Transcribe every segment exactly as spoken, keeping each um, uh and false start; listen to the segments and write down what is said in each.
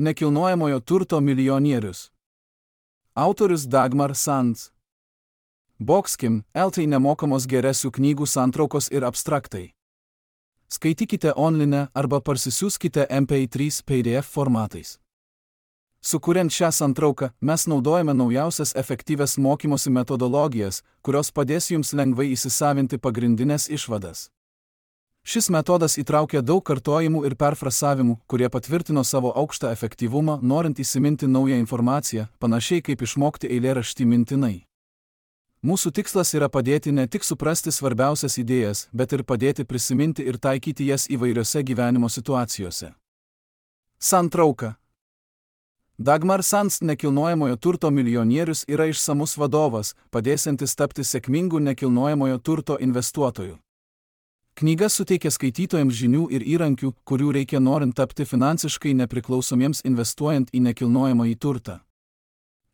Nekilnojamojo turto milijonierius. Autorius Dagmar Sands. Boxkim L T nemokamos geresių knygų santraukos ir abstraktai. Skaitykite online arba parsisiųskite M P trys P D F formatais. Sukuriant šią santrauką, mes naudojame naujausias efektyvias mokymosi metodologijas, kurios padės jums lengvai įsisavinti pagrindinės išvadas. Šis metodas įtraukia daug kartojimų ir perfrasavimų, kurie patvirtino savo aukštą efektyvumą, norint įsiminti naują informaciją, panašiai kaip išmokti eilėraštį mintinai. Mūsų tikslas yra padėti ne tik suprasti svarbiausias idėjas, bet ir padėti prisiminti ir taikyti jas įvairiose gyvenimo situacijose. Santrauka. Dagmar Sands nekilnojamojo turto milijonierius yra išsamus vadovas, padėsiantis tapti sėkmingu nekilnojamojo turto investuotoju. Knyga suteikia skaitytojams žinių ir įrankių, kurių reikia norint tapti finansiškai nepriklausomiems investuojant į nekilnojamąjį turtą.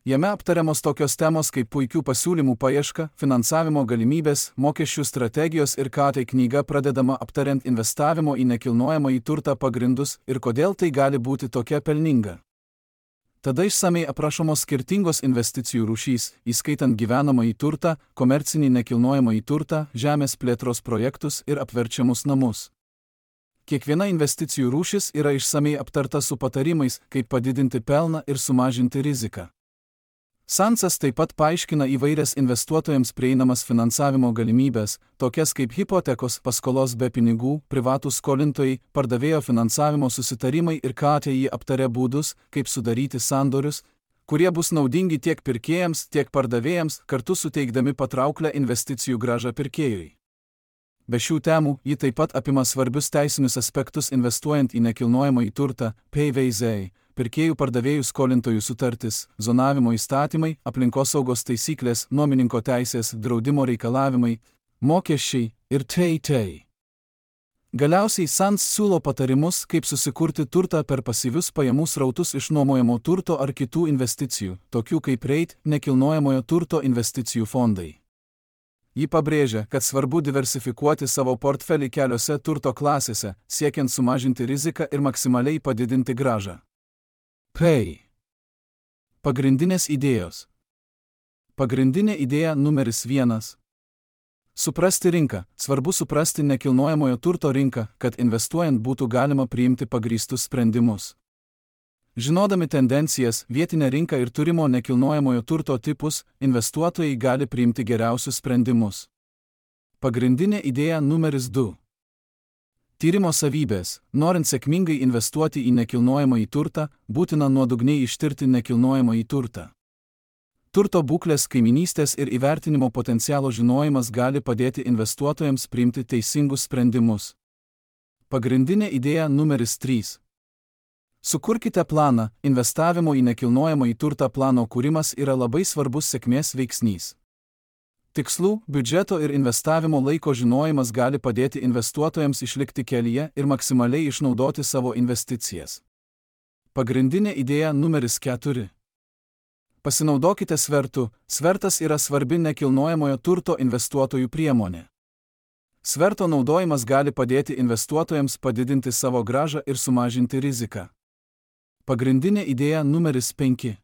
Jame aptariamos tokios temos kaip puikių pasiūlymų paieška, finansavimo galimybės, mokesčių strategijos ir ką tai knyga pradedama aptariant investavimo į nekilnojamąjį turtą pagrindus ir kodėl tai gali būti tokia pelninga. Tada išsamei aprašomos skirtingos investicijų rūšys, įskaitant gyvenamąjį turtą, komercinį nekilnojamąjį turtą, žemės plėtros projektus ir apverčiamus namus. Kiekviena investicijų rūšis yra išsamei aptarta su patarimais, kaip padidinti pelną ir sumažinti riziką. Sandsas taip pat paaiškina įvairias investuotojams prieinamas finansavimo galimybės, tokias kaip hipotekos, paskolos be pinigų, privatūs skolintojai, pardavėjo finansavimo susitarimai ir K T I aptarė būdus, kaip sudaryti sandorius, kurie bus naudingi tiek pirkėjams, tiek pardavėjams, kartu suteikdami patrauklę investicijų grąžą pirkėjui. Be šių temų, ji taip pat apima svarbius teisinius aspektus investuojant į nekilnojamąjį turtą, P V Z, pirkėjų pardavėjų skolintojų sutartis, zonavimo įstatymai, aplinkosaugos taisyklės, nuomininko teisės, draudimo reikalavimai, mokesčiai ir t.t. Galiausiai Sands siūlo patarimus, kaip susikurti turtą per pasyvius pajamų srautus iš nuomojamo turto ar kitų investicijų, tokių kaip REIT, nekilnojamojo turto investicijų fondai. Ji pabrėžia, kad svarbu diversifikuoti savo portfelį keliose turto klasėse, siekiant sumažinti riziką ir maksimaliai padidinti grąžą. P. Pagrindinės idėjos. Pagrindinė idėja numeris vienas. Suprasti rinką. Svarbu suprasti nekilnojamojo turto rinką, kad investuojant būtų galima priimti pagrįstus sprendimus. Žinodami tendencijas, vietinę rinką ir turimo nekilnojamojo turto tipus, investuotojai gali priimti geriausius sprendimus. Pagrindinė idėja numeris du. Tyrimo savybės. Norint sėkmingai investuoti į nekilnojamąjį turtą, būtina nuodugniai ištirti nekilnojamąjį turtą. Turto būklės, kaiminystės ir įvertinimo potencialo žinojimas gali padėti investuotojams priimti teisingus sprendimus. Pagrindinė idėja numeris trys. Sukurkite planą. Investavimo į nekilnojamąjį turtą plano kūrimas yra labai svarbus sėkmės veiksnys. Tikslų, biudžeto ir investavimo laiko žinojimas gali padėti investuotojams išlikti kelyje ir maksimaliai išnaudoti savo investicijas. Pagrindinė idėja numeris keturi. Pasinaudokite svertu. Svertas yra svarbi nekilnojamojo turto investuotojų priemonė. Sverto naudojimas gali padėti investuotojams padidinti savo grąžą ir sumažinti riziką. Pagrindinė idėja numeris penki.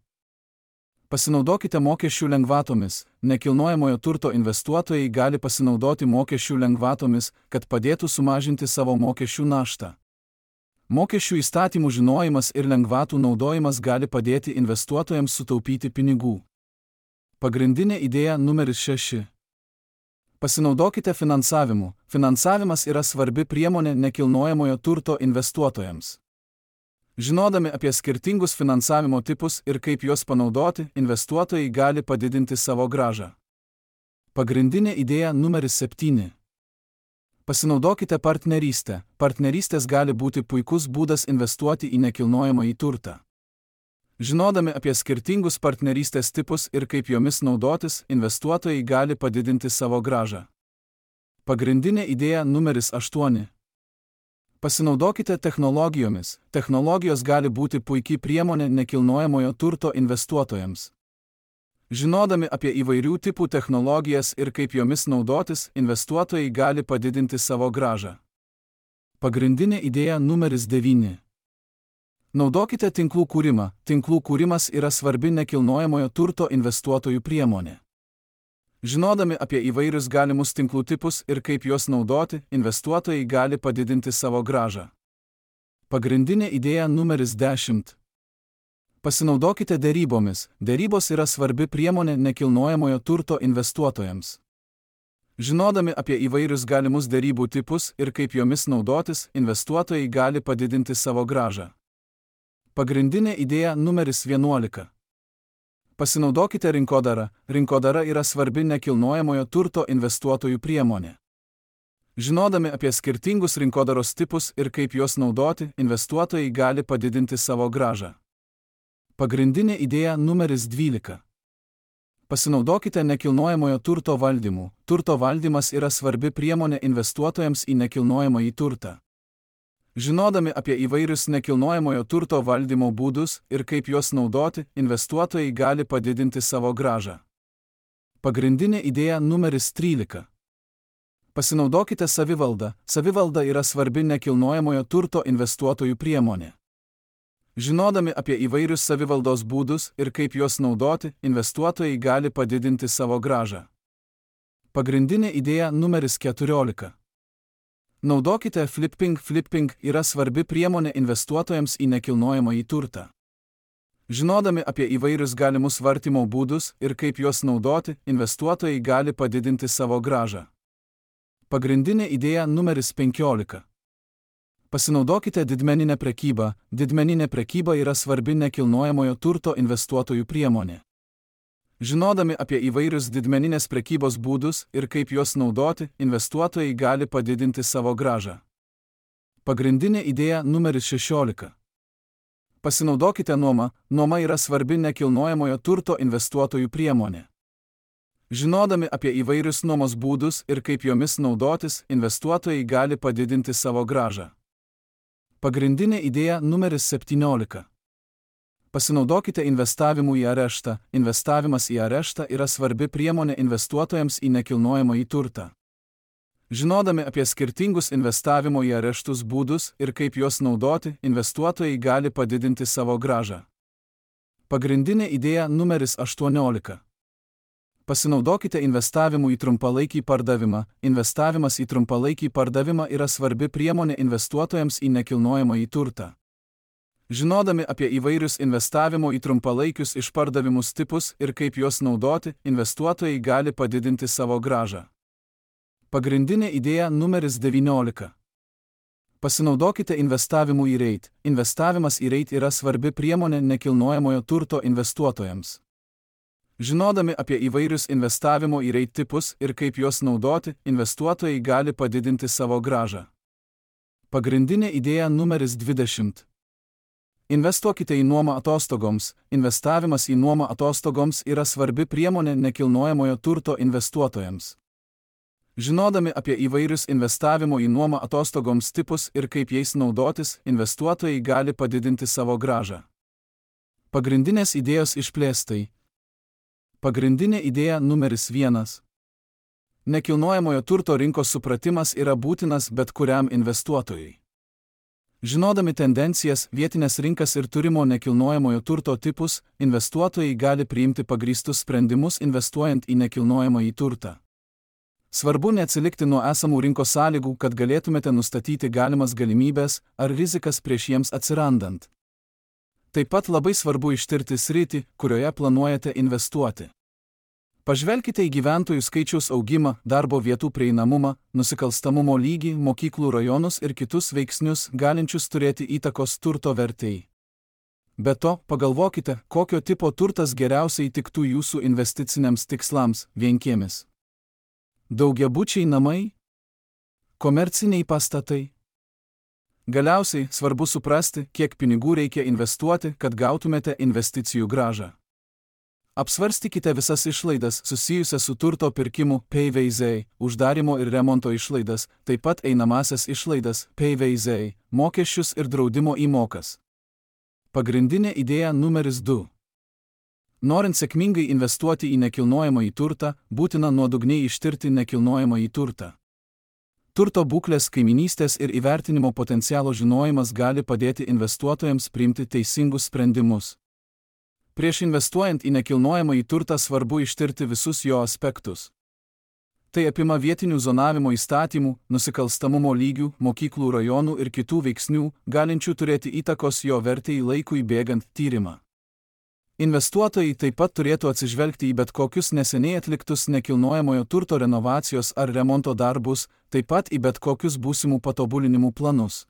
Pasinaudokite mokesčių lengvatomis. Nekilnojamojo turto investuotojai gali pasinaudoti mokesčių lengvatomis, kad padėtų sumažinti savo mokesčių naštą. Mokesčių įstatymų žinojimas ir lengvatų naudojimas gali padėti investuotojams sutaupyti pinigų. Pagrindinė idėja numeris šeši. Pasinaudokite finansavimu. Finansavimas yra svarbi priemonė nekilnojamojo turto investuotojams. Žinodami apie skirtingus finansavimo tipus ir kaip juos panaudoti, investuotojai gali padidinti savo grąžą. Pagrindinė idėja numeris septyni. Pasinaudokite partnerystę. Partnerystės gali būti puikus būdas investuoti į nekilnojamąjį turtą. Žinodami apie skirtingus partnerystės tipus ir kaip jomis naudotis, investuotojai gali padidinti savo grąžą. Pagrindinė idėja numeris aštuoni. Pasinaudokite technologijomis. Technologijos gali būti puikiai priemonė nekilnojamojo turto investuotojams. Žinodami apie įvairių tipų technologijas ir kaip jomis naudotis, investuotojai gali padidinti savo grąžą. Pagrindinė idėja numeris devyni. Naudokite tinklų kūrimą. Tinklų kūrimas yra svarbi nekilnojamojo turto investuotojų priemonė. Žinodami apie įvairius galimus tinklų tipus ir kaip juos naudoti, investuotojai gali padidinti savo grąžą. Pagrindinė idėja numeris dešimt. Pasinaudokite derybomis. Derybos yra svarbi priemonė nekilnojamojo turto investuotojams. Žinodami apie įvairius galimus derybų tipus ir kaip jomis naudotis, investuotojai gali padidinti savo grąžą. Pagrindinė idėja numeris vienuolika. Pasinaudokite rinkodarą. Rinkodara yra svarbi nekilnojamojo turto investuotojų priemonė. Žinodami apie skirtingus rinkodaros tipus ir kaip juos naudoti, investuotojai gali padidinti savo grąžą. Pagrindinė idėja numeris dvylika. Pasinaudokite nekilnojamojo turto valdymu. Turto valdymas yra svarbi priemonė investuotojams į nekilnojamąjį turtą. Žinodami apie įvairius nekilnojamojo turto valdymo būdus ir kaip juos naudoti, investuotojai gali padidinti savo grąžą. Pagrindinė idėja numeris trylika. Pasinaudokite savivaldą. Savivalda yra svarbi nekilnojamojo turto investuotojų priemonė. Žinodami apie įvairius savivaldos būdus ir kaip juos naudoti, investuotojai gali padidinti savo grąžą. Pagrindinė idėja numeris keturiolika. Naudokite flipping. Flipping yra svarbi priemonė investuotojams į nekilnojamąjį turtą. Žinodami apie įvairius galimus vartymo būdus ir kaip juos naudoti, investuotojai gali padidinti savo grąžą. Pagrindinė idėja numeris penkiolika. Pasinaudokite didmeninę prekybą. Didmeninė prekyba yra svarbi nekilnojamojo turto investuotojų priemonė. Žinodami apie įvairius didmeninės prekybos būdus ir kaip juos naudoti, investuotojai gali padidinti savo grąžą. Pagrindinė idėja numeris šešiolika. Pasinaudokite nuoma. Nuoma yra svarbi nekilnojamojo turto investuotojų priemonė. Žinodami apie įvairius nuomos būdus ir kaip jomis naudotis, investuotojai gali padidinti savo grąžą. Pagrindinė idėja numeris septyniolika. Pasinaudokite investavimu į areštą. Investavimas į areštą yra svarbi priemonė investuotojams į nekilnojamąjį turtą. Žinodami apie skirtingus investavimo į areštus būdus ir kaip juos naudoti, investuotojai gali padidinti savo grąžą. Pagrindinė idėja numeris aštuoniolika. Pasinaudokite investavimu į trumpalaikį pardavimą. Investavimas į trumpalaikį pardavimą yra svarbi priemonė investuotojams į nekilnojamąjį turtą. Žinodami apie įvairius investavimo į trumpalaikius išpardavimus tipus ir kaip juos naudoti, investuotojai gali padidinti savo grąžą. Pagrindinė idėja numeris devyniolika. Pasinaudokite investavimu į reit. Investavimas į reit yra svarbi priemonė nekilnojamojo turto investuotojams. Žinodami apie įvairius investavimo į reit tipus ir kaip juos naudoti, investuotojai gali padidinti savo grąžą. Pagrindinė idėja numeris dvidešimt. Investuokite į nuomą atostogoms. Investavimas į nuomą atostogoms yra svarbi priemonė nekilnojamojo turto investuotojams. Žinodami apie įvairius investavimo į nuomą atostogoms tipus ir kaip jais naudotis, investuotojai gali padidinti savo grąžą. Pagrindinės idėjos išplėstai. Pagrindinė idėja numeris vienas. Nekilnojamojo turto rinkos supratimas yra būtinas bet kuriam investuotojui. Žinodami tendencijas, vietinės rinkas ir turimo nekilnojamojo turto tipus, investuotojai gali priimti pagrįstus sprendimus investuojant į nekilnojamąjį turtą. Svarbu neatsilikti nuo esamų rinkos sąlygų, kad galėtumėte nustatyti galimas galimybės ar rizikas prieš jiems atsirandant. Taip pat labai svarbu ištirti sritį, kurioje planuojate investuoti. Pažvelkite į gyventojų skaičiaus augimą, darbo vietų prieinamumą, nusikalstamumo lygį, mokyklų rajonus ir kitus veiksnius, galinčius turėti įtakos turto vertei. Be to, pagalvokite, kokio tipo turtas geriausiai tiktų jūsų investiciniams tikslams – vienkiemis. Daugiabučiai namai? Komerciniai pastatai? Galiausiai, svarbu suprasti, kiek pinigų reikia investuoti, kad gautumėte investicijų grąžą. Apsvarstykite visas išlaidas susijusias su turto pirkimu P V Z, uždarimo ir remonto išlaidas, taip pat einamasias išlaidas P V Z, mokesčius ir draudimo įmokas. Pagrindinė idėja numeris du. Norint sėkmingai investuoti į nekilnojamąjį turtą, būtina nuodugniai ištirti nekilnojamąjį turtą. Turto būklės, kaiminystės ir įvertinimo potencialo žinojimas gali padėti investuotojams priimti teisingus sprendimus. Prieš investuojant į nekilnojamąjį turtą svarbu ištirti visus jo aspektus. Tai apima vietinių zonavimo įstatymų, nusikalstamumo lygių, mokyklų rajonų ir kitų veiksnių, galinčių turėti įtakos jo vertei laikui bėgant tyrimą. Investuotojai taip pat turėtų atsižvelgti į bet kokius neseniai atliktus nekilnojamojo turto renovacijos ar remonto darbus, taip pat į bet kokius būsimų patobulinimų planus.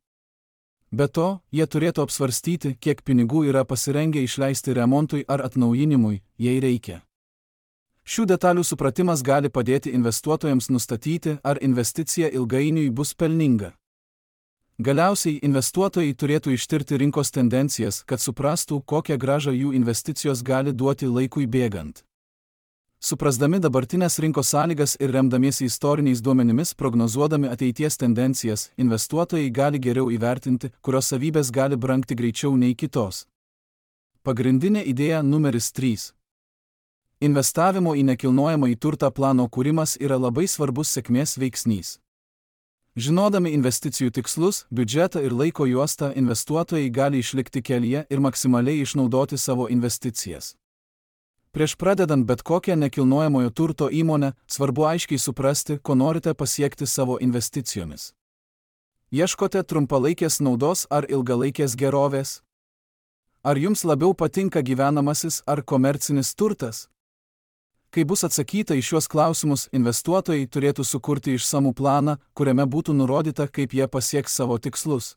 Be to, jie turėtų apsvarstyti, kiek pinigų yra pasirengę išleisti remontui ar atnaujinimui, jei reikia. Šių detalių supratimas gali padėti investuotojams nustatyti, ar investicija ilgainiui bus pelninga. Galiausiai investuotojai turėtų ištirti rinkos tendencijas, kad suprastų, kokią grąžą jų investicijos gali duoti laikui bėgant. Suprasdami dabartinės rinkos sąlygas ir remdamiesi istoriniais duomenimis prognozuodami ateities tendencijas, investuotojai gali geriau įvertinti, kurios savybės gali brangti greičiau nei kitos. Pagrindinė idėja numeris trys. Investavimo į nekilnojamąjį turtą plano kūrimas yra labai svarbus sėkmės veiksnys. Žinodami investicijų tikslus, biudžetą ir laiko juostą, investuotojai gali išlikti kelyje ir maksimaliai išnaudoti savo investicijas. Prieš pradedant bet kokią nekilnojamojo turto įmonę, svarbu aiškiai suprasti, ko norite pasiekti savo investicijomis. Ieškote trumpalaikės naudos ar ilgalaikės gerovės? Ar jums labiau patinka gyvenamasis ar komercinis turtas? Kai bus atsakyta į šiuos klausimus, investuotojai turėtų sukurti išsamų planą, kuriame būtų nurodyta, kaip jie pasieks savo tikslus.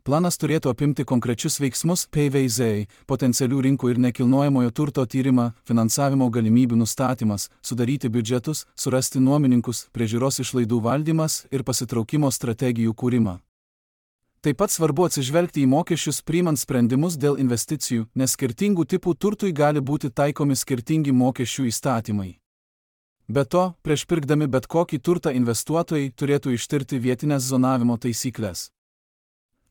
Planas turėtų apimti konkrečius veiksmus, P V Z, potencialių rinkų ir nekilnojamojo turto tyrimą, finansavimo galimybių nustatymas, sudaryti biudžetus, surasti nuomininkus, priežiūros išlaidų valdymas ir pasitraukimo strategijų kūrimą. Taip pat svarbu atsižvelgti į mokesčius priimant sprendimus dėl investicijų, nes skirtingų tipų turtui gali būti taikomi skirtingi mokesčių įstatymai. Be to, prieš pirkdami bet kokį turtą investuotojai turėtų ištirti vietinės zonavimo taisyklės.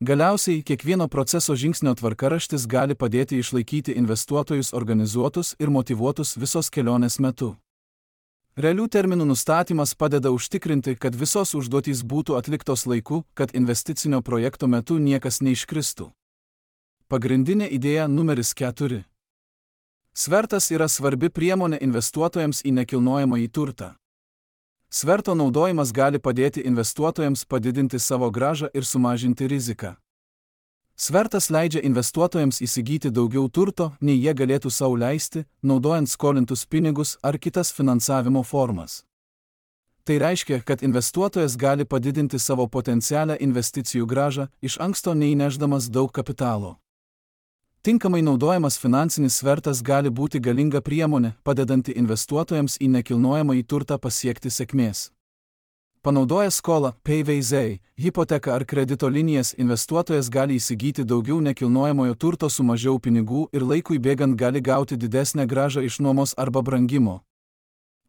Galiausiai, kiekvieno proceso žingsnio tvarkaraštis gali padėti išlaikyti investuotojus organizuotus ir motyvuotus visos kelionės metu. Realių terminų nustatymas padeda užtikrinti, kad visos užduotys būtų atliktos laiku, kad investicinio projekto metu niekas neiškristų. Pagrindinė idėja numeris keturi. Svertas yra svarbi priemonė investuotojams į nekilnojamąjį turtą. Sverto naudojimas gali padėti investuotojams padidinti savo grąžą ir sumažinti riziką. Svertas leidžia investuotojams įsigyti daugiau turto, nei jie galėtų sau leisti, naudojant skolintus pinigus ar kitas finansavimo formas. Tai reiškia, kad investuotojas gali padidinti savo potencialią investicijų grąžą, iš anksto neįnešdamas daug kapitalo. Tinkamai naudojamas finansinis svertas gali būti galinga priemonė, padedanti investuotojams į nekilnojamąjį turtą pasiekti sėkmės. Panaudojęs skolą, P V Z, hipoteką ar kredito linijas, investuotojas gali įsigyti daugiau nekilnojamojo turto su mažiau pinigų ir laikui bėgant gali gauti didesnę grąžą iš nuomos arba brangimo.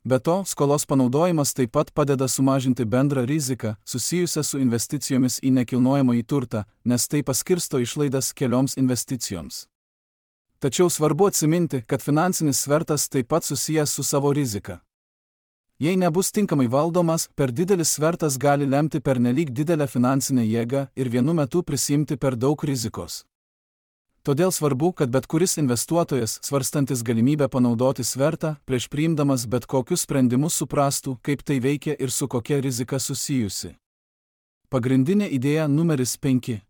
Be to, skolos panaudojimas taip pat padeda sumažinti bendrą riziką, susijusią su investicijomis į nekilnojamąjį turtą, nes tai paskirsto išlaidas kelioms investicijoms. Tačiau svarbu atsiminti, kad finansinis svertas taip pat susijęs su savo rizika. Jei nebus tinkamai valdomas, per didelis svertas gali lemti pernelyg didelę finansinę jėgą ir vienu metu prisiimti per daug rizikos. Todėl svarbu, kad bet kuris investuotojas, svarstantis galimybę panaudoti svertą, prieš priimdamas bet kokius sprendimus suprastų, kaip tai veikia ir su kokia rizika susijusi. Pagrindinė idėja numeris penki.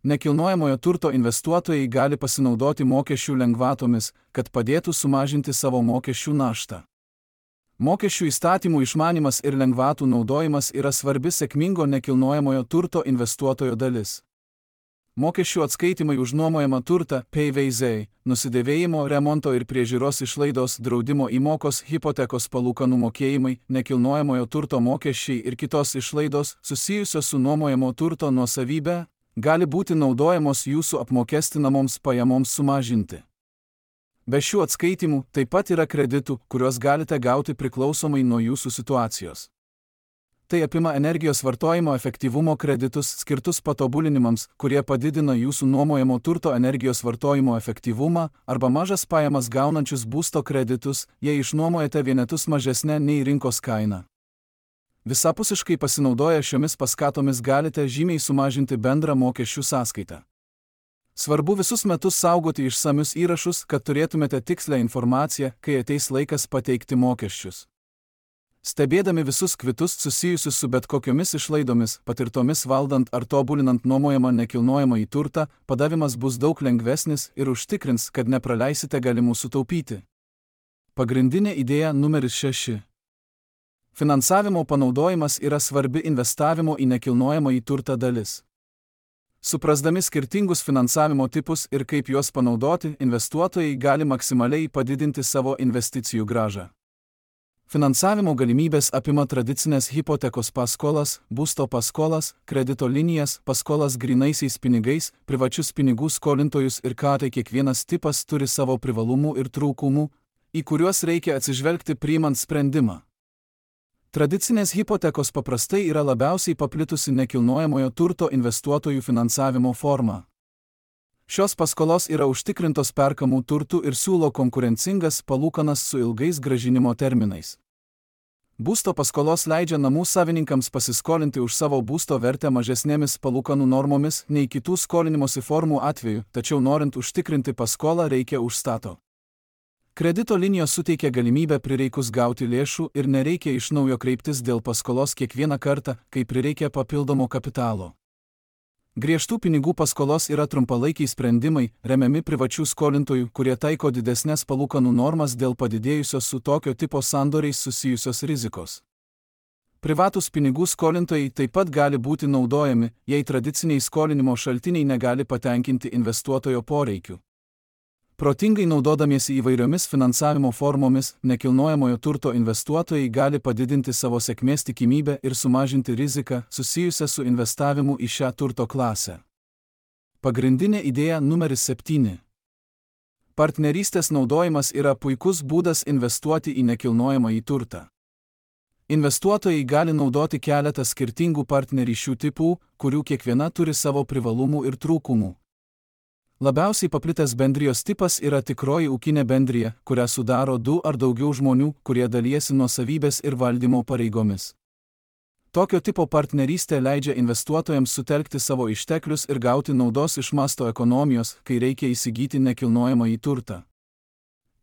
Nekilnojamojo turto investuotojai gali pasinaudoti mokesčių lengvatomis, kad padėtų sumažinti savo mokesčių naštą. Mokesčių įstatymų išmanymas ir lengvatų naudojimas yra svarbi sėkmingo nekilnojamojo turto investuotojo dalis. Mokesčių atskaitimai už nuomojamą turtą, P V Z, nusidėvėjimo, remonto ir priežiūros išlaidos, draudimo įmokos, hipotekos palūkanų mokėjimai, nekilnojamojo turto mokesčiai ir kitos išlaidos, susijusios su nuomojamo turto nuosavybe, gali būti naudojamos jūsų apmokestinamoms pajamoms sumažinti. Be šių atskaitimų taip pat yra kreditų, kuriuos galite gauti priklausomai nuo jūsų situacijos. Tai apima energijos vartojimo efektyvumo kreditus skirtus patobulinimams, kurie padidina jūsų nuomojamo turto energijos vartojimo efektyvumą, arba mažas pajamas gaunančius būsto kreditus, jei išnuomojate vienetus mažesnę nei rinkos kaina. Visapusiškai pasinaudoję šiomis paskatomis galite žymiai sumažinti bendrą mokesčių sąskaitą. Svarbu visus metus saugoti išsamius įrašus, kad turėtumėte tikslę informaciją, kai ateis laikas pateikti mokesčius. Stebėdami visus kvitus susijusius su bet kokiomis išlaidomis, patirtomis valdant ar tobulinant nuomojamą nekilnojamąjį turtą, padavimas bus daug lengvesnis ir užtikrins, kad nepraleisite galimų sutaupyti. Pagrindinė idėja numeris šeši. Finansavimo panaudojimas yra svarbi investavimo į nekilnojamąjį turtą dalis. Suprasdami skirtingus finansavimo tipus ir kaip juos panaudoti, investuotojai gali maksimaliai padidinti savo investicijų grąžą. Finansavimo galimybės apima tradicinės hipotekos paskolas, būsto paskolas, kredito linijas, paskolas grynaisiais pinigais, privačius pinigų skolintojus ir ką tai kiekvienas tipas turi savo privalumų ir trūkumų, į kuriuos reikia atsižvelgti priimant sprendimą. Tradicinės hipotekos paprastai yra labiausiai paplitusi nekilnojamojo turto investuotojų finansavimo forma. Šios paskolos yra užtikrintos perkamų turtų ir siūlo konkurencingas palūkanas su ilgais grąžinimo terminais. Būsto paskolos leidžia namų savininkams pasiskolinti už savo būsto vertę mažesnėmis palūkanų normomis nei kitų skolinimosi formų atveju, tačiau norint užtikrinti paskolą reikia užstato. Kredito linijos suteikia galimybę prireikus gauti lėšų ir nereikia iš naujo kreiptis dėl paskolos kiekvieną kartą, kai prireikia papildomo kapitalo. Griežtų pinigų paskolos yra trumpalaikiai sprendimai, remiami privačių skolintojų, kurie taiko didesnės palūkanų normas dėl padidėjusios su tokio tipo sandoriais susijusios rizikos. Privatūs pinigų skolintojai taip pat gali būti naudojami, jei tradiciniai skolinimo šaltiniai negali patenkinti investuotojo poreikių. Protingai naudodamiesi įvairiomis finansavimo formomis, nekilnojamojo turto investuotojai gali padidinti savo sėkmės tikimybę ir sumažinti riziką susijusią su investavimu į šią turto klasę. Pagrindinė idėja numeris septyni. Partnerystės naudojimas yra puikus būdas investuoti į nekilnojamąjį turtą. Investuotojai gali naudoti keletą skirtingų partnerysčių tipų, kurių kiekviena turi savo privalumų ir trūkumų. Labiausiai paplitęs bendrijos tipas yra tikroji ūkinė bendrija, kurią sudaro du ar daugiau žmonių, kurie dalijasi nuosavybės ir valdymo pareigomis. Tokio tipo partnerystė leidžia investuotojams sutelkti savo išteklius ir gauti naudos iš masto ekonomijos, kai reikia įsigyti nekilnojamąjį turtą.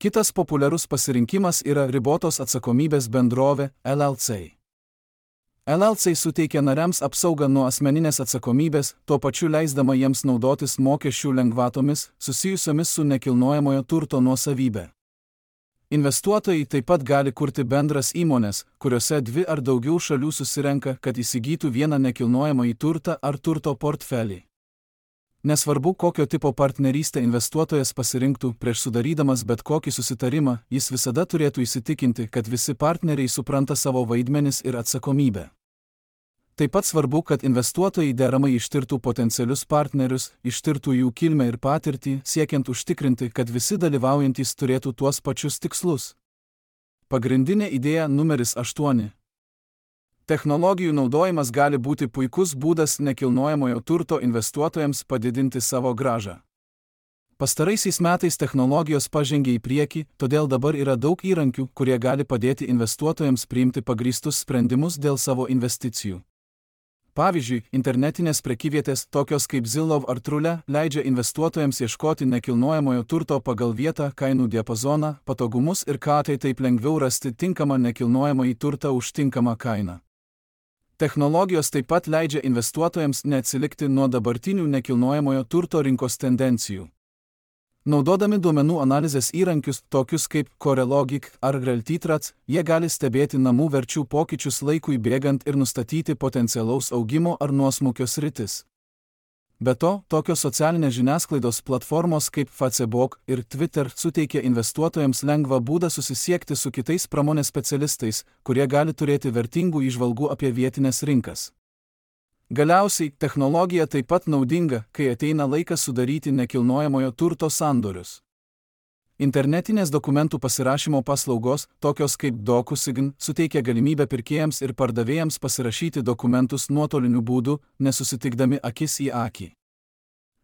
Kitas populiarus pasirinkimas yra ribotos atsakomybės bendrovė L L C. L L C suteikia nariams apsaugą nuo asmeninės atsakomybės, tuo pačiu leisdama jiems naudotis mokesčių lengvatomis, susijusiomis su nekilnojamojo turto nuosavybė. Investuotojai taip pat gali kurti bendras įmones, kuriuose dvi ar daugiau šalių susirenka, kad įsigytų vieną nekilnojamąjį turtą ar turto portfelį. Nesvarbu, kokio tipo partnerystę investuotojas pasirinktų, prieš sudarydamas bet kokį susitarimą, jis visada turėtų įsitikinti, kad visi partneriai supranta savo vaidmenis ir atsakomybę. Taip pat svarbu, kad investuotojai deramai ištirtų potencialius partnerius, ištirtų jų kilmę ir patirtį, siekiant užtikrinti, kad visi dalyvaujantys turėtų tuos pačius tikslus. Pagrindinė idėja numeris aštuoni. Technologijų naudojimas gali būti puikus būdas nekilnojamojo turto investuotojams padidinti savo grąžą. Pastaraisiais metais technologijos pažengė į priekį, todėl dabar yra daug įrankių, kurie gali padėti investuotojams priimti pagrįstus sprendimus dėl savo investicijų. Pavyzdžiui, internetinės prekyvietės, tokios kaip Zillow ar Trulia, leidžia investuotojams ieškoti nekilnojamojo turto pagal vietą, kainų diapazoną, patogumus ir ką tai taip lengviau rasti tinkamą nekilnojamąjį turtą už tinkamą kainą. Technologijos taip pat leidžia investuotojams neatsilikti nuo dabartinių nekilnojamojo turto rinkos tendencijų. Naudodami duomenų analizės įrankius, tokius kaip CoreLogic ar Realty.Trats, jie gali stebėti namų verčių pokyčius laikui bėgant ir nustatyti potencialaus augimo ar nuosmukio sritis. Be to, tokios socialinės žiniasklaidos platformos kaip Facebook ir Twitter suteikia investuotojams lengvą būdą susisiekti su kitais pramonės specialistais, kurie gali turėti vertingų įžvalgų apie vietinės rinkas. Galiausiai, technologija taip pat naudinga, kai ateina laikas sudaryti nekilnojamojo turto sandorius. Internetinės dokumentų pasirašymo paslaugos, tokios kaip DocuSign, suteikia galimybę pirkėjams ir pardavėjams pasirašyti dokumentus nuotoliniu būdu, nesusitikdami akis į akį.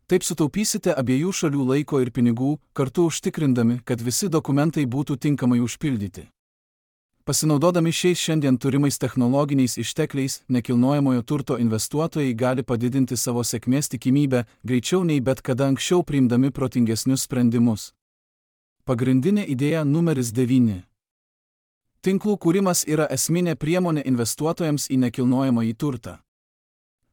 Taip sutaupysite abiejų šalių laiko ir pinigų, kartu užtikrindami, kad visi dokumentai būtų tinkamai užpildyti. Pasinaudodami šiais šiandien turimais technologiniais ištekliais, nekilnojamojo turto investuotojai gali padidinti savo sėkmės tikimybę greičiau nei bet kada anksčiau priimdami protingesnius sprendimus. Pagrindinė idėja numeris devyni. Tinklų kūrimas yra esminė priemonė investuotojams į nekilnojamąjį turtą.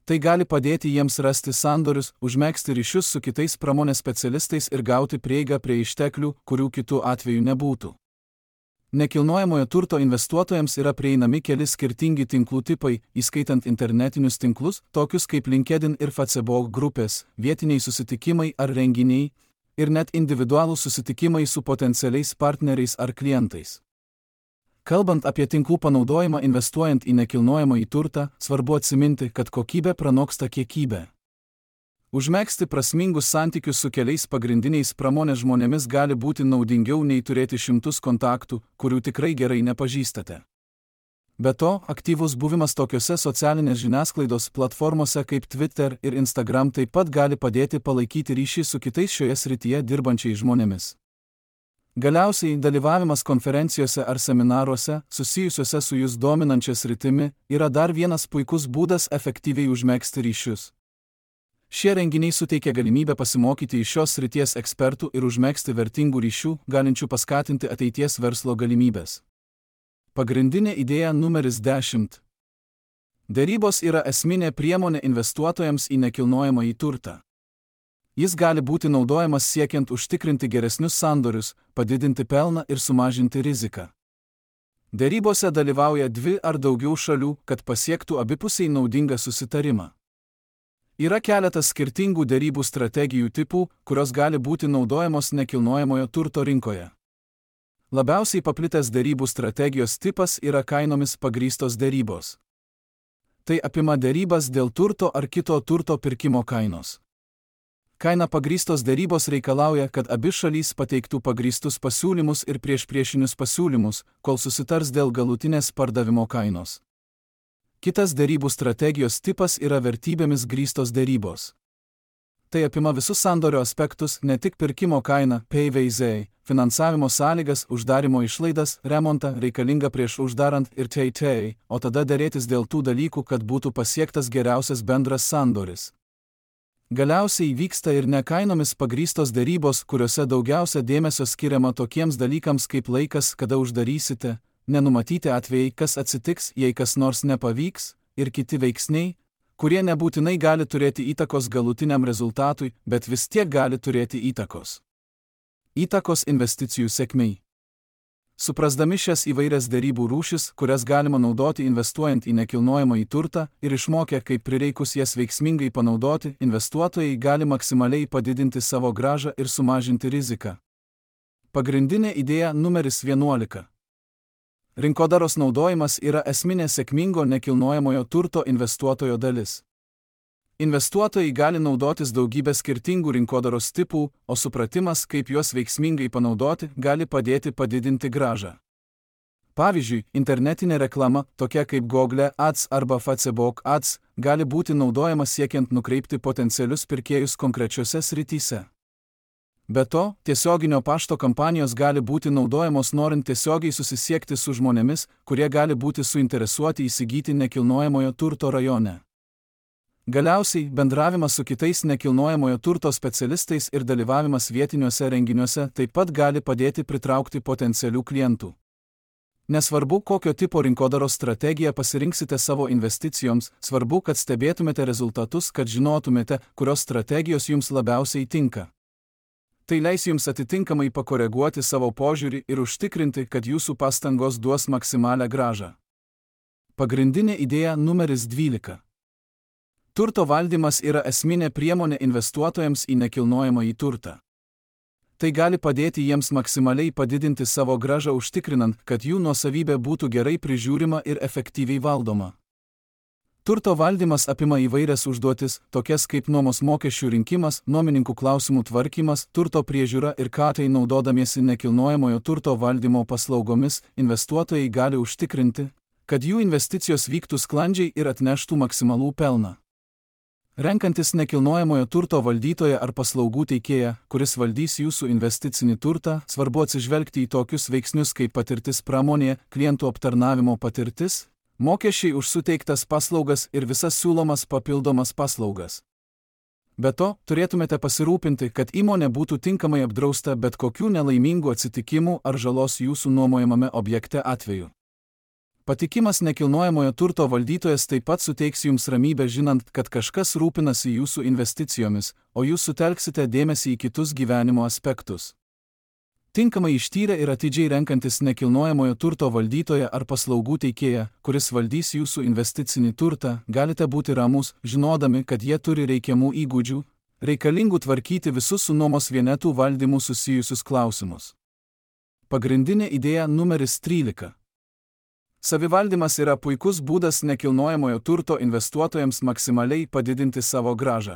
Tai gali padėti jiems rasti sandorius, užmegzti ryšius su kitais pramonės specialistais ir gauti prieigą prie išteklių, kurių kitų atveju nebūtų. Nekilnojamojo turto investuotojams yra prieinami keli skirtingi tinklų tipai, įskaitant internetinius tinklus, tokius kaip LinkedIn ir Facebook grupės, vietiniai susitikimai ar renginiai, ir net individualūs susitikimai su potencialiais partneriais ar klientais. Kalbant apie tinklų panaudojimą investuojant į nekilnojamąjį turtą, svarbu atsiminti, kad kokybė pranoksta kiekybę. Užmegzti prasmingus santykius su keliais pagrindiniais pramonės žmonėmis gali būti naudingiau nei turėti šimtus kontaktų, kurių tikrai gerai nepažįstate. Be to, aktyvus buvimas tokiose socialinės žiniasklaidos platformose kaip Twitter ir Instagram taip pat gali padėti palaikyti ryšį su kitais šioje srityje dirbančiais žmonėmis. Galiausiai, dalyvavimas konferencijose ar seminaruose, susijusiuose su jūs dominančia sritimi, yra dar vienas puikus būdas efektyviai užmegzti ryšius. Šie renginiai suteikia galimybę pasimokyti iš šios srities ekspertų ir užmegzti vertingų ryšių, galinčių paskatinti ateities verslo galimybės. Pagrindinė idėja numeris dešimt. Derybos yra esminė priemonė investuotojams į nekilnojamąjį turtą. Jis gali būti naudojamas siekiant užtikrinti geresnius sandorius, padidinti pelną ir sumažinti riziką. Derybose dalyvauja dvi ar daugiau šalių, kad pasiektų abipusiai naudingą susitarimą. Yra keletas skirtingų derybų strategijų tipų, kurios gali būti naudojamos nekilnojamojo turto rinkoje. Labiausiai paplitęs derybų strategijos tipas yra kainomis pagrįstos derybos. Tai apima derybas dėl turto ar kito turto pirkimo kainos. Kaina pagrįstos derybos reikalauja, kad abi šalys pateiktų pagrįstus pasiūlymus ir priešpriešinius pasiūlymus, kol susitars dėl galutinės pardavimo kainos. Kitas derybų strategijos tipas yra vertybėmis grįstos derybos. Tai apima visus sandorio aspektus, ne tik pirkimo kainą, P V Z, finansavimo sąlygas, uždarimo išlaidas, remontą reikalingą prieš uždarant ir T T, o tada derėtis dėl tų dalykų, kad būtų pasiektas geriausias bendras sandoris. Galiausiai vyksta ir nekainomis pagrįstos derybos, kuriuose daugiausia dėmesio skiriama tokiems dalykams kaip laikas, kada uždarysite, nenumatyti atvejai, kas atsitiks, jei kas nors nepavyks, ir kiti veiksniai, kurie nebūtinai gali turėti įtakos galutiniam rezultatui, bet vis tiek gali turėti įtakos. Įtakos investicijų sėkmei. Suprasdami šias įvairias derybų rūšis, kurias galima naudoti investuojant į nekilnojamąjį turtą ir išmokę, kaip prireikus jas veiksmingai panaudoti, investuotojai gali maksimaliai padidinti savo grąžą ir sumažinti riziką. Pagrindinė idėja numeris vienuolika. Rinkodaros naudojimas yra esminė sėkmingo nekilnojamojo turto investuotojo dalis. Investuotojai gali naudotis daugybę skirtingų rinkodaros tipų, o supratimas, kaip juos veiksmingai panaudoti, gali padėti padidinti grąžą. Pavyzdžiui, internetinė reklama, tokia kaip Google Ads arba Facebook Ads, gali būti naudojama siekiant nukreipti potencialius pirkėjus konkrečiose srityse. Be to, tiesioginio pašto kampanijos gali būti naudojamos norint tiesiogiai susisiekti su žmonėmis, kurie gali būti suinteresuoti įsigyti nekilnojamojo turto rajone. Galiausiai, bendravimas su kitais nekilnojamojo turto specialistais ir dalyvavimas vietiniuose renginiuose taip pat gali padėti pritraukti potencialių klientų. Nesvarbu, kokio tipo rinkodaros strategiją pasirinksite savo investicijoms, svarbu, kad stebėtumėte rezultatus, kad žinotumėte, kurios strategijos jums labiausiai tinka. Tai leis jums atitinkamai pakoreguoti savo požiūrį ir užtikrinti, kad jūsų pastangos duos maksimalią grąžą. Pagrindinė idėja numeris dvylika. Turto valdymas yra esminė priemonė investuotojams į nekilnojamąjį turtą. Tai gali padėti jiems maksimaliai padidinti savo grąžą užtikrinant, kad jų nuosavybė būtų gerai prižiūrima ir efektyviai valdoma. Turto valdymas apima įvairias užduotis, tokias kaip nuomos mokesčių rinkimas, nuomininkų klausimų tvarkymas, turto priežiūra ir ką tai naudodamiesi nekilnojamojo turto valdymo paslaugomis, investuotojai gali užtikrinti, kad jų investicijos vyktų sklandžiai ir atneštų maksimalų pelną. Renkantis nekilnojamojo turto valdytoją ar paslaugų teikėją, kuris valdys jūsų investicinį turtą, svarbu atsižvelgti į tokius veiksnius kaip patirtis pramonėje, klientų aptarnavimo patirtis, mokesčiai už suteiktas paslaugas ir visas siūlomas papildomas paslaugas. Be to, turėtumėte pasirūpinti, kad įmonė būtų tinkamai apdrausta bet kokių nelaimingų atsitikimų ar žalos jūsų nuomojamame objekte atveju. Patikimas nekilnojamojo turto valdytojas taip pat suteiks jums ramybę žinant, kad kažkas rūpinasi jūsų investicijomis, o jūs sutelksite dėmesį į kitus gyvenimo aspektus. Tinkamai ištyrę ir atidžiai renkantis nekilnojamojo turto valdytoją ar paslaugų teikėją, kuris valdys jūsų investicinį turtą, galite būti ramūs, žinodami, kad jie turi reikiamų įgūdžių, reikalingų tvarkyti visus su nuomos vienetų valdymu susijusius klausimus. Pagrindinė idėja numeris trylika. Savivaldymas yra puikus būdas nekilnojamojo turto investuotojams maksimaliai padidinti savo grąžą.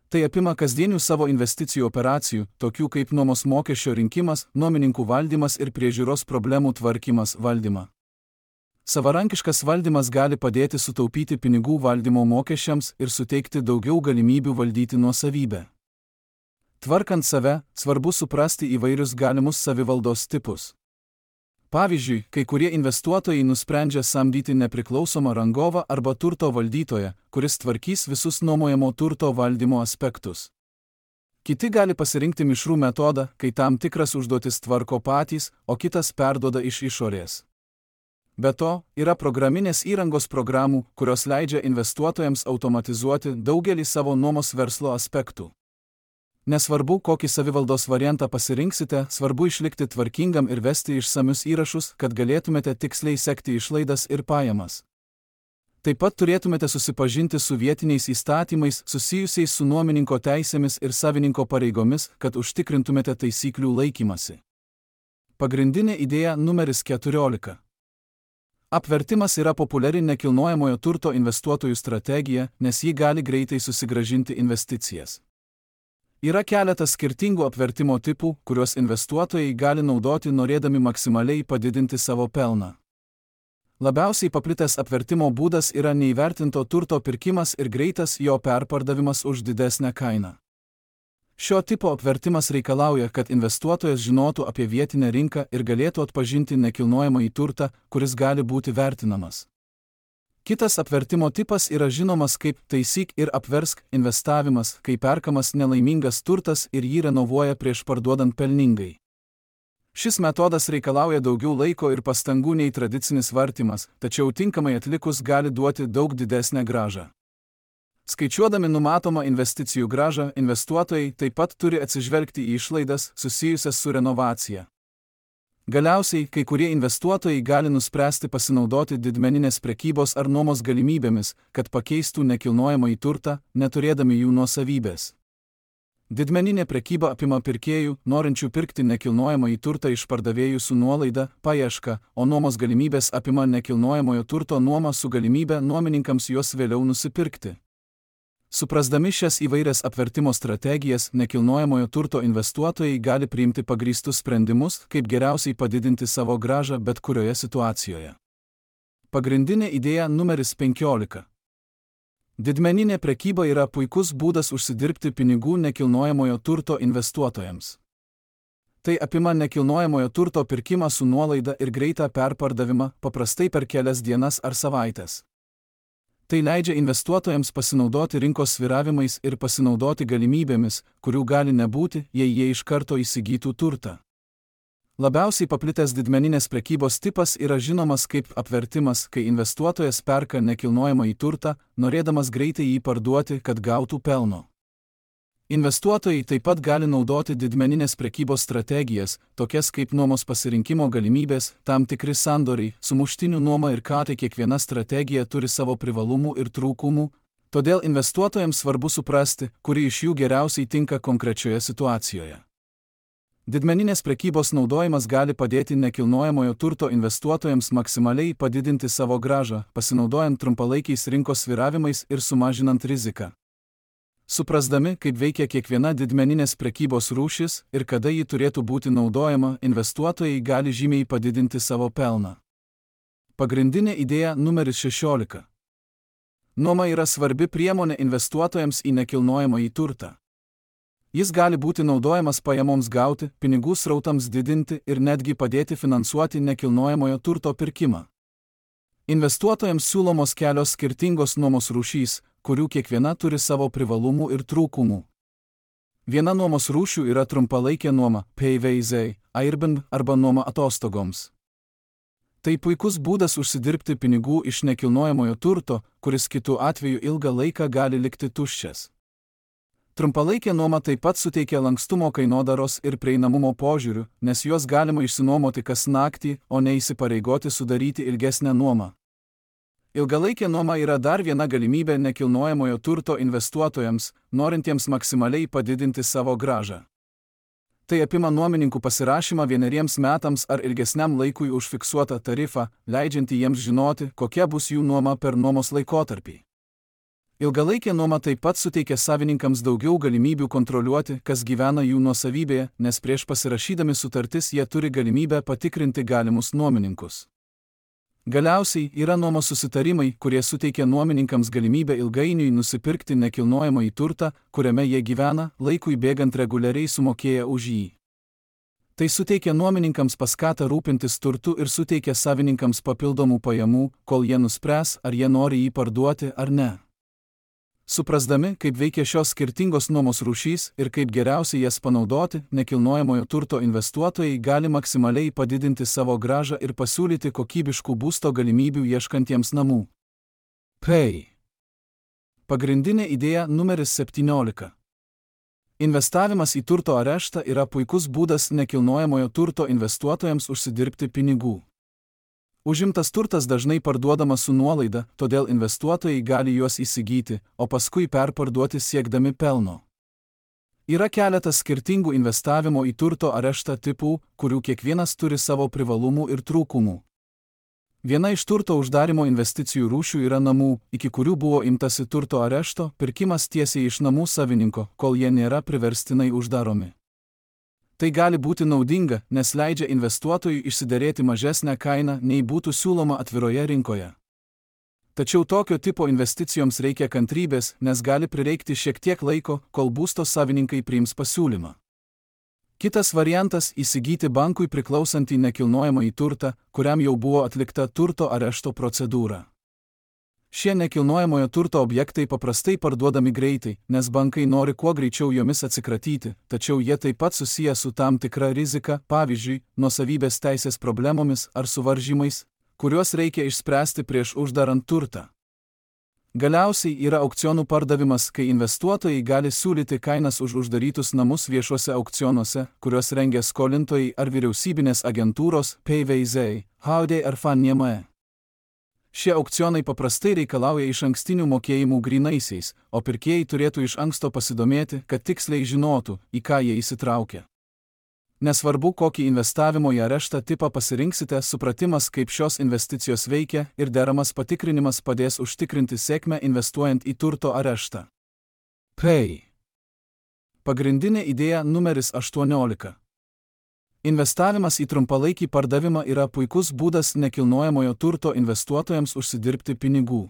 Tai apima kasdienių savo investicijų operacijų, tokių kaip nuomos mokesčio rinkimas, nuomininkų valdymas ir priežiūros problemų tvarkymas valdymą. Savarankiškas valdymas gali padėti sutaupyti pinigų valdymo mokesčiams ir suteikti daugiau galimybių valdyti nuosavybę. Tvarkant save, svarbu suprasti įvairius galimus savivaldos tipus. Pavyzdžiui, kai kurie investuotojai nusprendžia samdyti nepriklausomą rangovą arba turto valdytoją, kuris tvarkys visus nuomojamo turto valdymo aspektus. Kiti gali pasirinkti mišrų metodą, kai tam tikras užduotis tvarko patys, o kitas perduoda iš išorės. Be to, yra programinės įrangos programų, kurios leidžia investuotojams automatizuoti daugelį savo nuomos verslo aspektų. Nesvarbu, kokį savivaldos variantą pasirinksite, svarbu išlikti tvarkingam ir vesti išsamius įrašus, kad galėtumėte tiksliai sekti išlaidas ir pajamas. Taip pat turėtumėte susipažinti su vietiniais įstatymais susijusiais su nuomininko teisėmis ir savininko pareigomis, kad užtikrintumėte taisyklių laikymasi. Pagrindinė idėja numeris keturiolika. Apvertimas yra populiari nekilnojamojo turto investuotojų strategija, nes ji gali greitai susigrąžinti investicijas. Yra keletas skirtingų apvertimo tipų, kuriuos investuotojai gali naudoti norėdami maksimaliai padidinti savo pelną. Labiausiai paplitęs apvertimo būdas yra neįvertinto turto pirkimas ir greitas jo perpardavimas už didesnę kainą. Šio tipo apvertimas reikalauja, kad investuotojas žinotų apie vietinę rinką ir galėtų atpažinti nekilnojamąjį turtą, kuris gali būti vertinamas. Kitas apvertimo tipas yra žinomas kaip taisyk ir apversk investavimas, kai perkamas nelaimingas turtas ir jį renovuoja prieš parduodant pelningai. Šis metodas reikalauja daugiau laiko ir pastangų nei tradicinis vartymas, tačiau tinkamai atlikus gali duoti daug didesnę grąžą. Skaičiuodami numatomą investicijų grąžą, investuotojai taip pat turi atsižvelgti į išlaidas susijusias su renovacija. Galiausiai, kai kurie investuotojai gali nuspręsti pasinaudoti didmeninės prekybos ar nuomos galimybėmis, kad pakeistų nekilnojamąjį turtą, neturėdami jų nuosavybės. Didmeninė prekyba apima pirkėjų, norinčių pirkti nekilnojamąjį turtą iš pardavėjų su nuolaida, paieška, o nuomos galimybės apima nekilnojamojo turto nuomą su galimybė nuomininkams juos vėliau nusipirkti. Suprasdami šias įvairias apvertimo strategijas, nekilnojamojo turto investuotojai gali priimti pagrįstus sprendimus, kaip geriausiai padidinti savo grąžą bet kurioje situacijoje. Pagrindinė idėja numeris penkiolika. Didmeninė prekyba yra puikus būdas užsidirbti pinigų nekilnojamojo turto investuotojams. Tai apima nekilnojamojo turto pirkimą su nuolaida ir greitą perpardavimą, paprastai per kelias dienas ar savaitės. Tai leidžia investuotojams pasinaudoti rinkos svyravimais ir pasinaudoti galimybėmis, kurių gali nebūti, jei jie iš karto įsigytų turtą. Labiausiai paplitęs didmeninės prekybos tipas yra žinomas kaip apvertimas, kai investuotojas perka nekilnojamąjį turtą, norėdamas greitai jį parduoti, kad gautų pelno. Investuotojai taip pat gali naudoti didmeninės prekybos strategijas, tokias kaip nuomos pasirinkimo galimybės, tam tikri sandoriai, sumuštinių nuoma ir ką tai kiekviena strategija turi savo privalumų ir trūkumų, todėl investuotojams svarbu suprasti, kuri iš jų geriausiai tinka konkrečioje situacijoje. Didmeninės prekybos naudojimas gali padėti nekilnojamojo turto investuotojams maksimaliai padidinti savo grąžą, pasinaudojant trumpalaikiais rinkos svyravimais ir sumažinant riziką. Suprasdami, kaip veikia kiekviena didmeninės prekybos rūšis ir kada ji turėtų būti naudojama, investuotojai gali žymiai padidinti savo pelną. Pagrindinė idėja numeris šešiolika. Nuoma yra svarbi priemonė investuotojams į nekilnojamąjį turtą. Jis gali būti naudojamas pajamoms gauti, pinigų srautams didinti ir netgi padėti finansuoti nekilnojamojo turto pirkimą. Investuotojams siūlomos kelios skirtingos nuomos rūšys, kurių kiekviena turi savo privalumų ir trūkumų. Viena nuomos rūšių yra trumpalaikė nuoma, P V Z, Airbnb arba nuoma atostogoms. Tai puikus būdas užsidirbti pinigų iš nekilnojamojo turto, kuris kitu atveju ilgą laiką gali likti tuščias. Trumpalaikė nuoma taip pat suteikia lankstumo kainodaros ir prieinamumo požiūrių, nes juos galima išsinuomoti kas naktį, o ne įsipareigoti sudaryti ilgesnę nuomą. Ilgalaikė nuoma yra dar viena galimybė nekilnojamojo turto investuotojams, norintiems maksimaliai padidinti savo grąžą. Tai apima nuomininkų pasirašymą vieneriems metams ar ilgesniam laikui už fiksuotą tarifą, leidžiantį jiems žinoti, kokia bus jų nuoma per nuomos laikotarpį. Ilgalaikė nuoma taip pat suteikia savininkams daugiau galimybių kontroliuoti, kas gyvena jų nuosavybėje, nes prieš pasirašydami sutartis jie turi galimybę patikrinti galimus nuomininkus. Galiausiai yra nuomos susitarimai, kurie suteikia nuomininkams galimybę ilgainiui nusipirkti nekilnojamąjį turtą, kuriame jie gyvena, laikui bėgant reguliariai sumokėję už jį. Tai suteikia nuomininkams paskatą rūpintis turtu ir suteikia savininkams papildomų pajamų, kol jie nuspręs, ar jie nori jį parduoti ar ne. Suprasdami, kaip veikia šios skirtingos nuomos rūšys ir kaip geriausiai jas panaudoti, nekilnojamojo turto investuotojai gali maksimaliai padidinti savo grąžą ir pasiūlyti kokybiškų būsto galimybių ieškantiems namų. P. Pagrindinė idėja numeris septyniolika. Investavimas į turto areštą yra puikus būdas nekilnojamojo turto investuotojams užsidirbti pinigų. Užimtas turtas dažnai parduodamas su nuolaida, todėl investuotojai gali juos įsigyti, o paskui perparduoti siekdami pelno. Yra keletas skirtingų investavimo į turto areštą tipų, kurių kiekvienas turi savo privalumų ir trūkumų. Viena iš turto uždarimo investicijų rūšių yra namų, iki kurių buvo imtasi turto arešto, pirkimas tiesiai iš namų savininko, kol jie nėra priverstinai uždaromi. Tai gali būti naudinga, nes leidžia investuotojui išsiderėti mažesnę kainą, nei būtų siūloma atviroje rinkoje. Tačiau tokio tipo investicijoms reikia kantrybės, nes gali prireikti šiek tiek laiko, kol būsto savininkai priims pasiūlymą. Kitas variantas – įsigyti bankui priklausantį nekilnojamąjį turtą, kuriam jau buvo atlikta turto arešto procedūra. Šie nekilnojamojo turto objektai paprastai parduodami greitai, nes bankai nori kuo greičiau jomis atsikratyti, tačiau jie taip pat susiję su tam tikra rizika, pavyzdžiui, nuosavybės teisės problemomis ar suvaržymais, kuriuos reikia išspręsti prieš uždarant turtą. Galiausiai yra aukcionų pardavimas, kai investuotojai gali siūlyti kainas už uždarytus namus viešuose aukcionuose, kuriuos rengia skolintojai ar vyriausybinės agentūros, P V Z, Haudė ar Fannie Mae. Šie aukcionai paprastai reikalauja iš ankstinių mokėjimų grynaisiais, o pirkėjai turėtų iš anksto pasidomėti, kad tiksliai žinotų, į ką jie įsitraukia. Nesvarbu, kokį investavimo į areštą tipą pasirinksite, supratimas, kaip šios investicijos veikia ir deramas patikrinimas padės užtikrinti sėkmę investuojant į turto areštą. P. Pagrindinė idėja numeris aštuoniolika. Investavimas į trumpalaikį pardavimą yra puikus būdas nekilnojamojo turto investuotojams užsidirbti pinigų.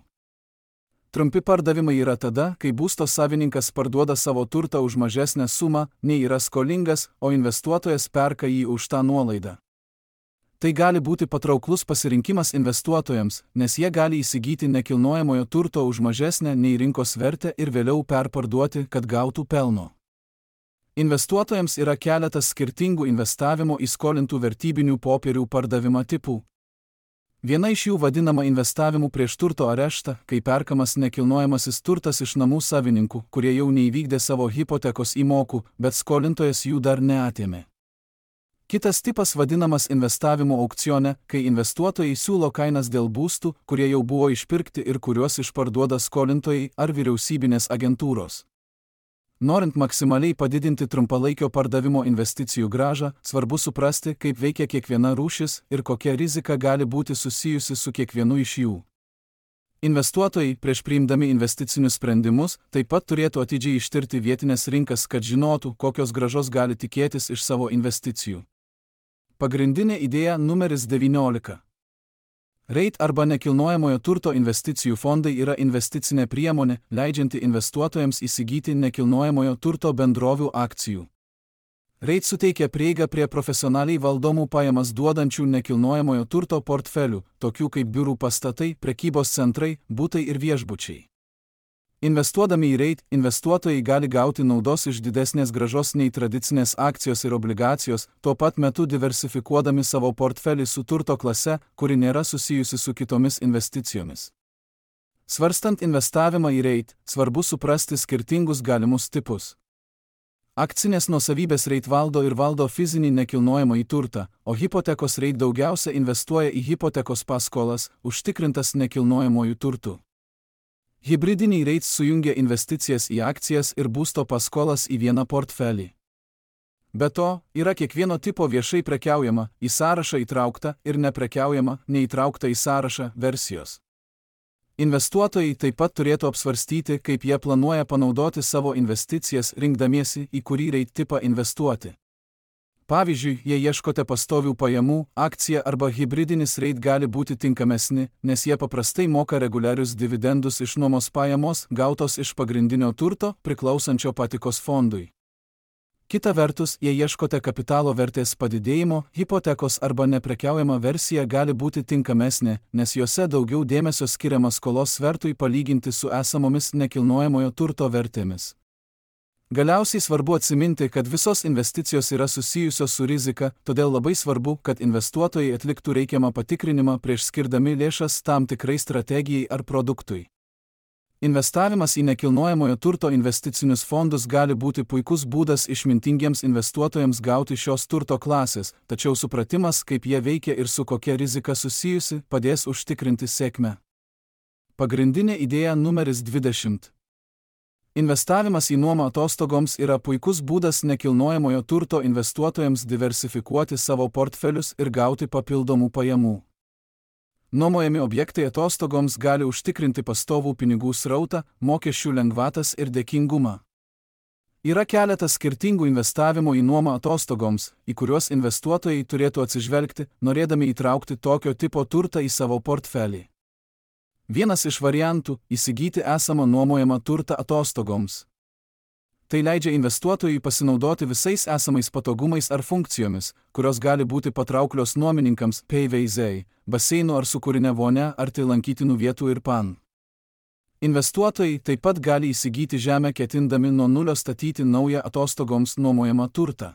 Trumpi pardavimai yra tada, kai būsto savininkas parduoda savo turtą už mažesnę sumą, nei yra skolingas, o investuotojas perka jį už tą nuolaidą. Tai gali būti patrauklus pasirinkimas investuotojams, nes jie gali įsigyti nekilnojamojo turto už mažesnę nei rinkos vertę ir vėliau perparduoti, kad gautų pelno. Investuotojams yra keletas skirtingų investavimo į skolintų vertybinių popierių pardavimą tipų. Viena iš jų vadinama investavimu prieš turto areštą, kai perkamas nekilnojamasis turtas iš namų savininkų, kurie jau neįvykdė savo hipotekos įmokų, bet skolintojas jų dar neatėmė. Kitas tipas vadinamas investavimo aukcione, kai investuotojai siūlo kainas dėl būstų, kurie jau buvo išpirkti ir kuriuos išparduoda skolintojai ar vyriausybinės agentūros. Norint maksimaliai padidinti trumpalaikio pardavimo investicijų grąžą, svarbu suprasti, kaip veikia kiekviena rūšis ir kokia rizika gali būti susijusi su kiekvienu iš jų. Investuotojai, prieš priimdami investicinius sprendimus, taip pat turėtų atidžiai ištirti vietinės rinkas, kad žinotų, kokios grąžos gali tikėtis iš savo investicijų. Pagrindinė idėja numeris devyniolika. REIT arba nekilnojamojo turto investicijų fondai yra investicinė priemonė, leidžianti investuotojams įsigyti nekilnojamojo turto bendrovių akcijų. REIT suteikia prieigą prie profesionaliai valdomų pajamas duodančių nekilnojamojo turto portfelių, tokių kaip biurų pastatai, prekybos centrai, butai ir viešbučiai. Investuodami į REIT, investuotojai gali gauti naudos iš didesnės grąžos nei tradicinės akcijos ir obligacijos, tuo pat metu diversifikuodami savo portfelį su turto klase, kuri nėra susijusi su kitomis investicijomis. Svarstant investavimą į REIT, svarbu suprasti skirtingus galimus tipus. Akcinės nuosavybės REIT valdo ir valdo fizinį nekilnojamąjį turtą, o hipotekos REIT daugiausia investuoja į hipotekos paskolas, užtikrintas nekilnojamojų turtų. Hibridiniai REIT sujungia investicijas į akcijas ir būsto paskolas į vieną portfelį. Be to, yra kiekvieno tipo viešai prekiaujama, į sąrašą įtraukta ir neprekiaujama, neįtraukta į sąrašą versijos. Investuotojai taip pat turėtų apsvarstyti, kaip jie planuoja panaudoti savo investicijas, rinkdamiesi, į kurį REIT tipą investuoti. Pavyzdžiui, jei ieškote pastovių pajamų, akcija arba hibridinis REIT gali būti tinkamesni, nes jie paprastai moka reguliarius dividendus iš nuomos pajamos, gautos iš pagrindinio turto, priklausančio patikos fondui. Kita vertus, jei ieškote kapitalo vertės padidėjimo, hipotekos arba neprekiaujama versija gali būti tinkamesnė, nes jose daugiau dėmesio skiriama skolos svertui palyginti su esamomis nekilnojamojo turto vertėmis. Galiausiai svarbu atsiminti, kad visos investicijos yra susijusios su rizika, todėl labai svarbu, kad investuotojai atliktų reikiamą patikrinimą prieš skirdami lėšas tam tikrai strategijai ar produktui. Investavimas į nekilnojamojo turto investicinius fondus gali būti puikus būdas išmintingiems investuotojams gauti šios turto klasės, tačiau supratimas, kaip jie veikia ir su kokia rizika susijusi, padės užtikrinti sėkmę. Pagrindinė idėja numeris dvidešimt. Investavimas į nuomą atostogoms yra puikus būdas nekilnojamojo turto investuotojams diversifikuoti savo portfelius ir gauti papildomų pajamų. Nuomojami objektai atostogoms gali užtikrinti pastovų pinigų srautą, mokesčių lengvatas ir dėkingumą. Yra keletas skirtingų investavimo į nuomą atostogoms, į kuriuos investuotojai turėtų atsižvelgti, norėdami įtraukti tokio tipo turtą į savo portfelį. Vienas iš variantų – įsigyti esamą nuomojamą turtą atostogoms. Tai leidžia investuotojui pasinaudoti visais esamais patogumais ar funkcijomis, kurios gali būti patrauklios nuomininkams, peiveizei, baseinu ar sūkurinė vonia, arti lankytinų vietų ir pan. Investuotojai taip pat gali įsigyti žemę ketindami nuo nulio statyti naują atostogoms nuomojamą turtą.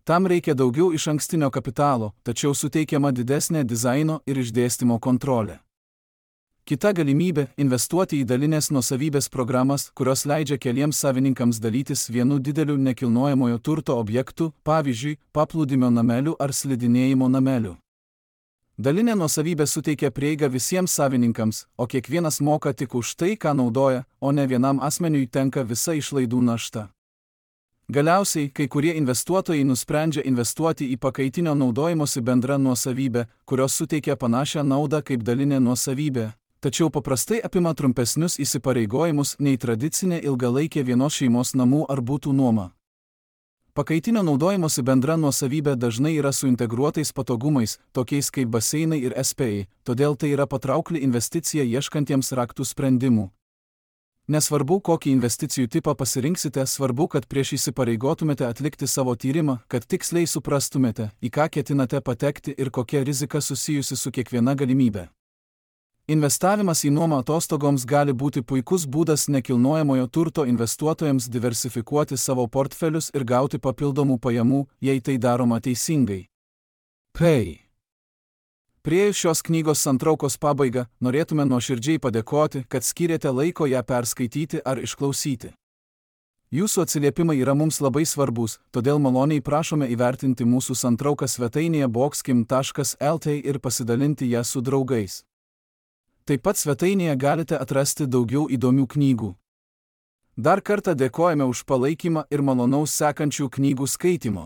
Tam reikia daugiau išankstinio kapitalo, tačiau suteikiama didesnė dizaino ir išdėstymo kontrolė. Kita galimybė – investuoti į dalinės nuosavybės programas, kurios leidžia keliems savininkams dalytis vienu dideliu nekilnojamojo turto objektu, pavyzdžiui, paplūdimio nameliu ar slidinėjimo nameliu. Dalinė nuosavybė suteikia prieigą visiems savininkams, o kiekvienas moka tik už tai, ką naudoja, o ne vienam asmeniui tenka visa išlaidų našta. Galiausiai, kai kurie investuotojai nusprendžia investuoti į pakaitinio naudojimosi bendrą nuosavybę, kurios suteikia panašią naudą kaip dalinė nuosavybė, tačiau paprastai apima trumpesnius įsipareigojimus nei tradicinė ilgalaikė vienos šeimos namų ar butų nuoma. Pakaitinio naudojimosi bendra nuosavybė dažnai yra su integruotais patogumais, tokiais kaip baseinai ir S P I, todėl tai yra patraukli investicija ieškantiems raktų sprendimų. Nesvarbu, kokį investicijų tipą pasirinksite, svarbu, kad prieš įsipareigotumėte atlikti savo tyrimą, kad tiksliai suprastumėte, į ką ketinate patekti ir kokia rizika susijusi su kiekviena galimybė. Investavimas į nuomą atostogoms gali būti puikus būdas nekilnojamojo turto investuotojams diversifikuoti savo portfelius ir gauti papildomų pajamų, jei tai daroma teisingai. Pei. Priėjus šios knygos santraukos pabaigą, norėtume nuoširdžiai padėkoti, kad skyrėte laiko ją perskaityti ar išklausyti. Jūsų atsiliepimai yra mums labai svarbus, todėl maloniai prašome įvertinti mūsų santrauką svetainėje boxkim taškas el tė ir pasidalinti ją su draugais. Taip pat svetainėje galite atrasti daugiau įdomių knygų. Dar kartą dėkojame už palaikymą ir malonaus sekančių knygų skaitimo.